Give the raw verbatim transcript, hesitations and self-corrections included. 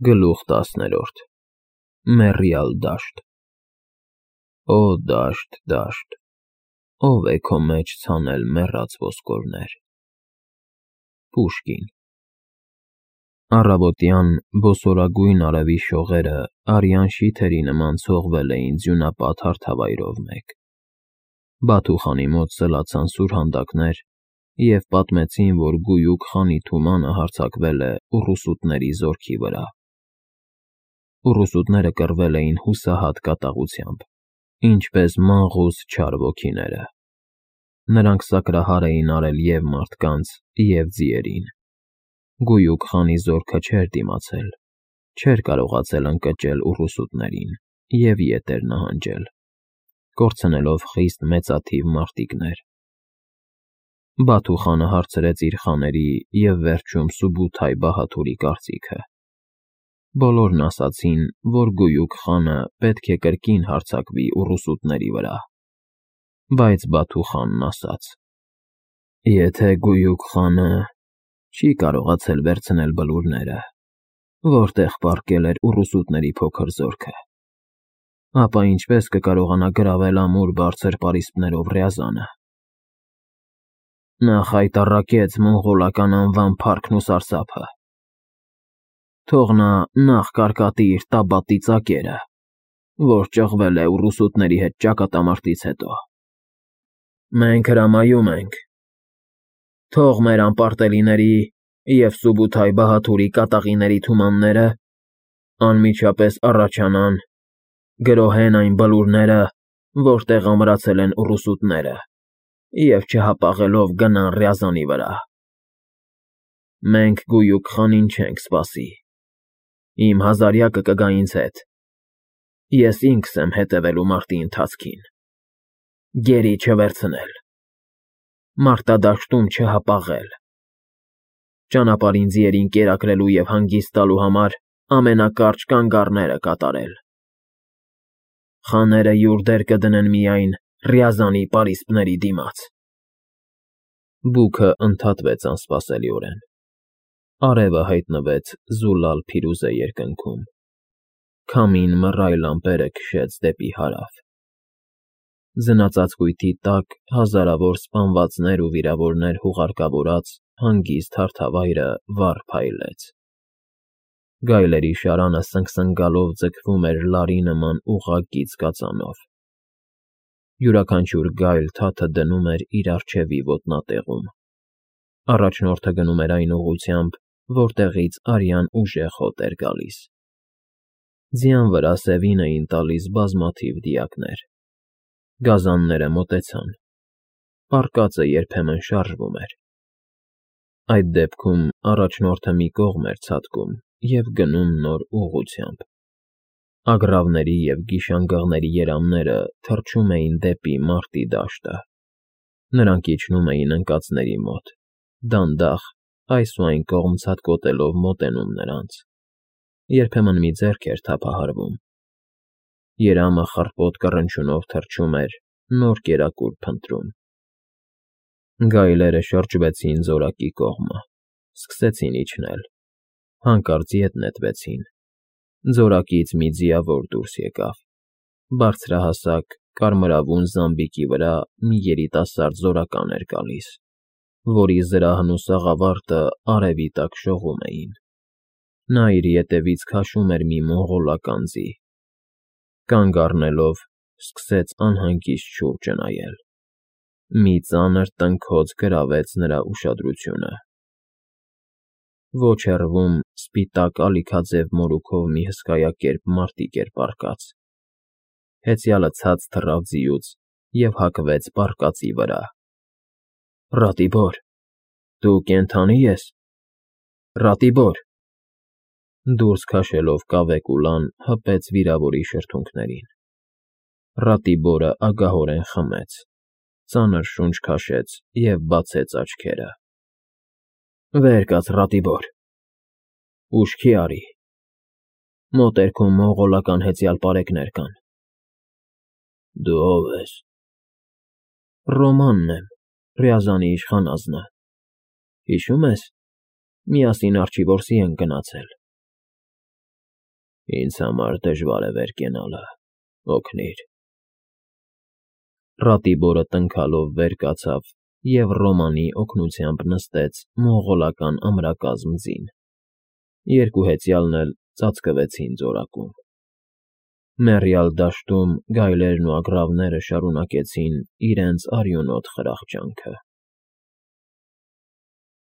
Գլուխ տասներորդ Մեռյալ դաշտ Օ դաշտ, դաշտ, ո՞վ է քո մեջ ցանել մեռած ոսկորներ։ Պուշկին Առավոտյան բոսորագույն արևի շողերը արյան շիթերի նման ցողվել էին ձյունապատ հարթավայրով մեկ։ Բաթուխանի մոտ սլացան սուրհանդակներ և պատմեցին, որ գույուկ խանի թումանը հարձակվել է ուռուսուտների զորքի վրա։ Ուռուսուտները կռվել էին հուսահատ կատաղությամբ, ինչպես մանգաղուց չար ոգիները։ Նրանք սակրահար էին արել և մարդկանց, և ձիերին։ Գույուկ խանի զորքը չէր դիմացել, չէր կարողացել ընկճել ուռուսուտներին և ետ էր նահանջել, կորցնելով խիստ մեծաթիվ մարտիկներ։ Բաթուխանը հարցրեց իր խաների և վերջում Սուբութայ բահադուրի կարծիքը։ Բոլորն ասացին, որ գույուկ խանը պետք է կրկին հարձակվի ուռուսուտների վրա։ Բայց Բաթուխանն ասաց. Եթե գույուկ խանը չի կարողացել վերցնել բլուրները, որտեղ պառկել էր ուռուսուտների փոքր զորքը, ապա ինչպես կկարողանա գրավել ամուր բարձր պարիսպներով Ռյազանը։ Նա խայտառակեց մոնղոլական անվան փառքն ու սարսափը։ Թող նա նախ կարկատի իր Տաբատի ծակերը, որ ճղվել է ուռուսուտների հետ ճակատամարտից հետո։ Մենք հրամայում ենք, թող մեր անպարտելիների և Սուբութայ բահադուրի կատաղիների թումանները անմիջապես առաջանան, գրոհեն այն բլուրները, որտեղ ամրացել են ուռուսուտները, և չհապաղելով գնան Ռյազանի վրա։ Մենք գույուկ խանին չենք սպասի։ Իմ հազարյակը կգա ինձ հետ։ Ես ինքս եմ հետևելու մարտի ընթացքին։ Գերի չվերցնել։ Մարտադաշտում չհապաղել։ Ճանապարհին ձիերին կերակրելու և հանգիստ տալու համար ամենակարճ կանգառները կատարել։ Խաները յուր դեր կդնեն միայն Ռյազանի պարիսպների դիմաց։ Բուքը ընդհատվեց անսպասելիորեն։ Արևը հայտնվեց Զուլալ-Փիրուզե երկնքում։ Քամին մռայլ ամպերը քշեց դեպի հարավ։ Ձնածածկույթի տակ հազարավոր սպանվածներ ու վիրավորներ հուղարկավորած հանգիստ հարթավայրը վառ փայլեց։ Գայլերի շարանը սնգսնգալով ձգվում էր լարի նման ուղղագիծ կածանով։ Յուրաքանչյուր գայլ թաթը դնում էր իր առջևի ոտնատեղում։ Առաջնորդը գնում էր այն ուղղությամբ, որտեղից արյան ուժեղ հոտ էր գալիս։ Ձյան վրա սևին էին տալիս բազմաթիվ դիակներ։ Գազանները մոտեցան։ Պառկածը երբեմն շարժվում էր։ Այդ դեպքում առաջնորդը մի կողմ էր ցատկում և գնում նոր ուղղությամբ։ Ագռավների և գիշանգղների երամները թռչում էին դեպի մարտի դաշտը։ Նրանք իջնում էին ընկածների մոտ, դանդաղ այս ու այն կողմ ցատկոտելով մոտենում նրանց։ Երբեմն մի ձեռք էր թափահարվում։ Երամը խռպոտ կռնչյունով թռչում էր, նոր կերակուր փնտրում։ Գայլերը շրջվեցին զորակի կողմը, սկսեցին իջնել, հանկարծ ետ նետվեցին։ Ձորակից մի ձիավոր դուրս եկավ։ Բարձրահասակ, կարմրավուն զամբիկի վրա մի երիտասարդ զորական էր գալիս, որի զրահն ու սաղավարտը արևի տակ շողում էին։ Նա իր ետևից քաշում էր մի մոնղոլական ձի։ Կանգ առնելով՝ սկսեց անհանգիստ շուրջը նայել։ Մի ծանր տնքոց գրավեց նրա ուշադրությունը։ Ոչ հեռվում սպիտակ ալիքաձև մորուքով մի հսկայակերպ մարտիկ էր պառկած։ Հեծյալը ցած թռավ ձիուց և հակվեց պառկածի վրա։ Ռատիբոր, դու կենդանի ես, Ռատիբոր… Դուրս քաշելով կավե կուլան հպեց վիրավորի շրթունքներին։ Ռատիբորը ագահորեն խմեց, ծանր շունչ քաշեց և բացեց աչքերը։ Վեր կաց, Ռատիբոր… Ուշքի արի… Մոտերքում մոնղոլական հեծյալ պարեկներ կան։ Դու ո՞վ ես։ Ռոմանն եմ, Ռյազանի իշխանազնը։ Հիշո՞ւմ ես, միասին Արջիվորսի ենք գնացել։ Ինձ համար դժվար է վեր կենալը, օգնիր… Ռատիբորը տնքալով վեր կացավ և Ռոմանի օգնությամբ նստեց մոնղոլական ամրակազմ ձին, երկու հեծյալն էլ ծածկվեցին ծորակում։ Մեռյալ դաշտում գայլերն ու ագռավները շարունակեցին իրենց արյունոտ խրախճանքը։